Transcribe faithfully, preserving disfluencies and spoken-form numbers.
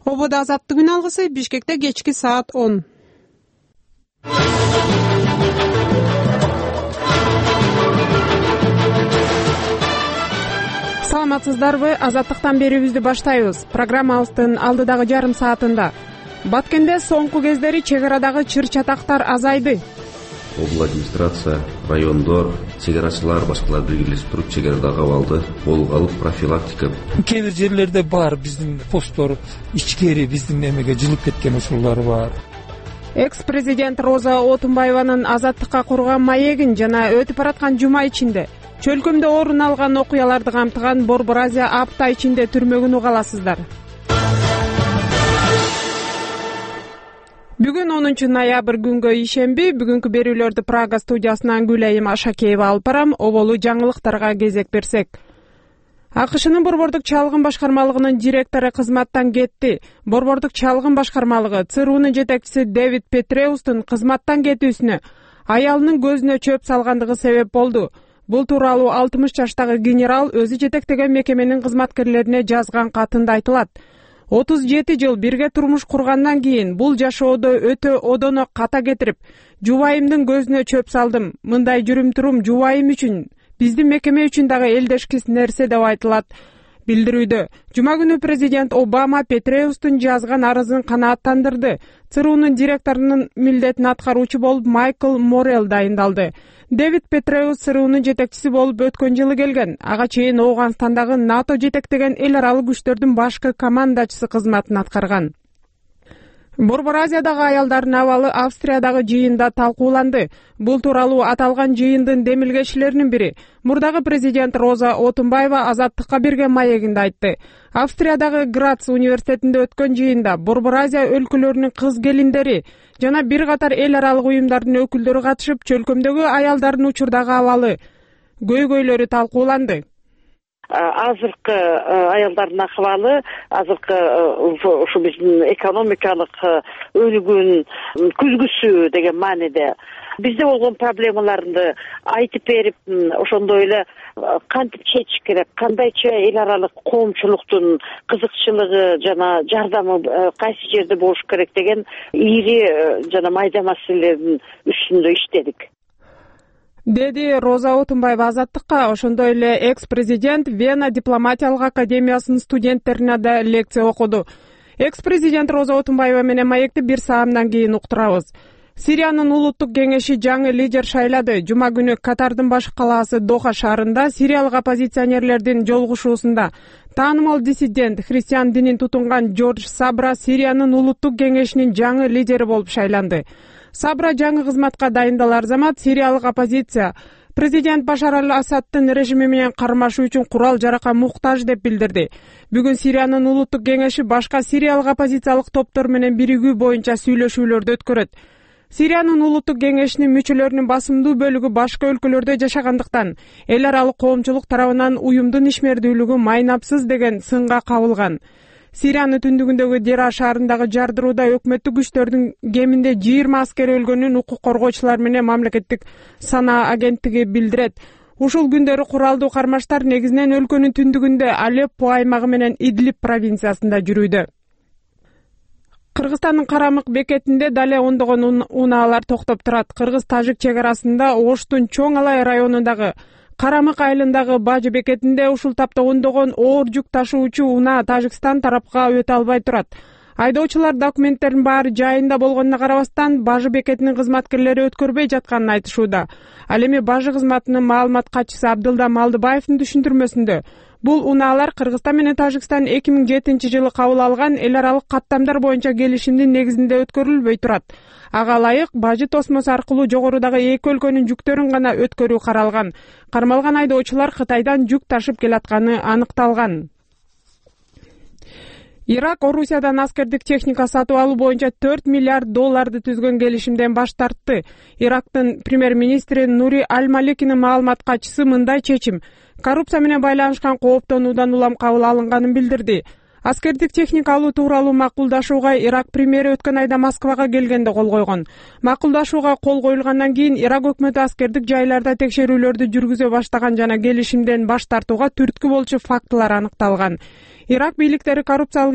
Ободо азаттык күн алгысы Бишкекте кечки саат он. Саламатсыздарбы? Азаттыктан берүүбүздү баштайбыз. Программабыздын алдыдагы жарым саатында Баткенде соңку кездери чек арадагы чыр-чатактар азайды. Обл администрация, райондор, чек арачылар башкалар биргелешип туруп чек арадагы абалды колго алып профилактика. Кээ бир жерлерде бар биздин посттор ичкери биздин эмеге жылып кеткен учурлар бар. Экс-президент Роза Отунбаеванын азаттыкка курган маегин жана өтүп бараткан жума ичинде чөлкөмдө орун алган окуяларды камтыган Борбор Азия апта ичинде түрмөгүн уга аласыздар. Бүгүн онунчу ноябрь күнгө ишемби, бүгүнкү берүүлөрдү Прага студиясынан Гүлайым Ашакеева алып барам. Оболу жаңылыктарга кезек берсек. АКШнын Борбордук чалгын башкармалыгынын директору кызматтан кетти. Борбордук чалгын башкармалыгы ЦРУнун жетекчиси Дэвид Петреустун кызматтан кетүүсүнө аялынын көзүнө чөп салгандыгы себеп болду. Бул тууралуу алтымыш жаштагы генерал өзү жетектеген мекеменин кызматкерлерине жазган катында айтылат. отуз жети жыл бирге турмуш кургандан кийин бул жашоодо өтө одоно ката кетирип, жубайымдын көзүнө чөп салдым. Мындай жүрүм-турум жубайым үчүн, биздин мекеме үчүн дагы элдешкис нерсе деп айтылат билдирүүдө. Жума күнү президент Обама Петреустун жазган арызын канааттандырды. ЦРУнун директорунун милдетин аткаруучу болуп Майкл Морел дайындалды. Дэвид Петреус ЦРУнун жетекчиси болуп өткөн жылы келген. Ага чейин Ооганстандагы НАТО жетектеген эл аралык күчтөрдүн башкы командачысы кызматын аткарган. Борбор Азиядагы аялдардын абалы Австриядагы жыйында талкууланды. Бул тууралуу аталган жыйындын демилгечилеринин бири, мурдагы президент Роза Отунбаева азаттыкка берген маегинде айтты. Австриядагы Грац университетинде өткөн жыйында Борбор Азия өлкөлөрүнүн кыз келиндери жана бир катар эл аралык уюмдардын өкүлдөрү катышып, чөлкөмдөгү аялдардын учурдагы абалы, көйгөйлөрү талкууланды. Азыркы аялдардын акыбалы, азыркы ушу биздин экономикалык өнүгүүнүн күзгүсү деген мааниде бизде болгон проблемаларды айтып берип, ошондой эле кантип чечиш керек, кандайча эл аралык коомчулуктун кызыкчылыгы жана жардамы кайсы жерде болуш керек деген ири жана майда маселелердин үстүндө иштедик. Деди Роза Отунбаева азаттыкка. Ошондой эле экс-президент Вена дипломатиялык академиясынын студенттерине да лекция окуду. Экс-президент Роза Отунбаева менен маекти бир саамдан кийин уктурабыз. Сириянын улуттук кеңеши жаңы лидер шайлады. Жума күнү Катардын баш калаасы Доха шаарында сириялык оппозиционерлердин жолугушуусунда таанымал диссидент, христиан динин тутунган Джордж Сабра Сириянын улуттук кеңешинин жаңы лидери болуп шайланды. Сабра жаңы кызматка дайындалар замат сириялык оппозиция президент Башар аль-Асадтын режими менен кармашуу үчүн курал жаракка муктаж деп билдирди. Бүгүн Сириянын улуттук кеңеши башка сириялык оппозициялык топтор менен биригүү боюнча сүйлөшүүлөрдү өткөрөт. Сириянын улуттук кеңешинин мүчөлөрүнүн басымдуу бөлүгү башка өлкөлөрдө жашагандыктан эл аралык коомчулук тарабынан уюмдун ишмердүүлүгү майнапсыз деген сынга кабылган. Сириянын түндүгүндөгү Дера шаарындагы жардырууда өкмөттүк күчтөрдүн кеминде жыйырма аскер өлгөнүн укук коргоочулар менен мамлекеттик санаа агенттиги билдирет. Ушул күндөрү куралдуу кармаштар негизинен өлкөнүн түндүгүндө Алеппо аймагы менен Идлиб провинциясында жүрүүдө. Кыргызстандын Карамык бекетинде дале ондогон унаалар токтоп турат. Кыргыз-тажик чек арасында Оштун Чоң Алай районундагы Карамык айылындагы Бажы бекетинде ушул тапта ондогон оор жүк ташуучу унаа Тажикстан тарапка өтө албай турат. Айдоочулар документтердин баары жайында болгонуна карабастан Бажы бекетинин кызматкерлери өткөрбөй жатканын айтышууда. Ал эми Бажы кызматынын маалымат катчысы Абдылда Малдыбаевдин түшүндүрмөсүндө бул унаалар Кыргызстан менен Тажикстан эки миң жетинчи жылы кабыл алган эл аралык каттамдар боюнча келишимдин негизинде өткөрүлбөй турат. Ага ылайык Бажы тосмосу аркылуу жогорудагы эки өлкөнүн жүктөрүн гана өткөрүү каралган. Кармалган айдоочулар Кытайдан жүк ташып келатканы аныкталган. Ирак Орусиядан аскердик техника сатып алуу боюнча төрт миллиард долларды түзгөн келишимден баш тартты. Ирактын премьер-министри Нури Аль-Маликинин маалымат катчысы мындай чечим коррупция менен байланышкан кооптонуудан улам кабыл алынганын билдирди. Аскердик техника алуу тууралуу макулдашууга Ирак премьери өткөн айда Москвага келгенде кол койгон. Макулдашууга кол коюлгандан кийин Ирак өкмөтү аскердик жайларда текшерүүлөрдү жүргүзө баштаган жана келишимден баш тартууга түрткү болчу фактылар аныкталган. Ирак бийликтери коррупциялык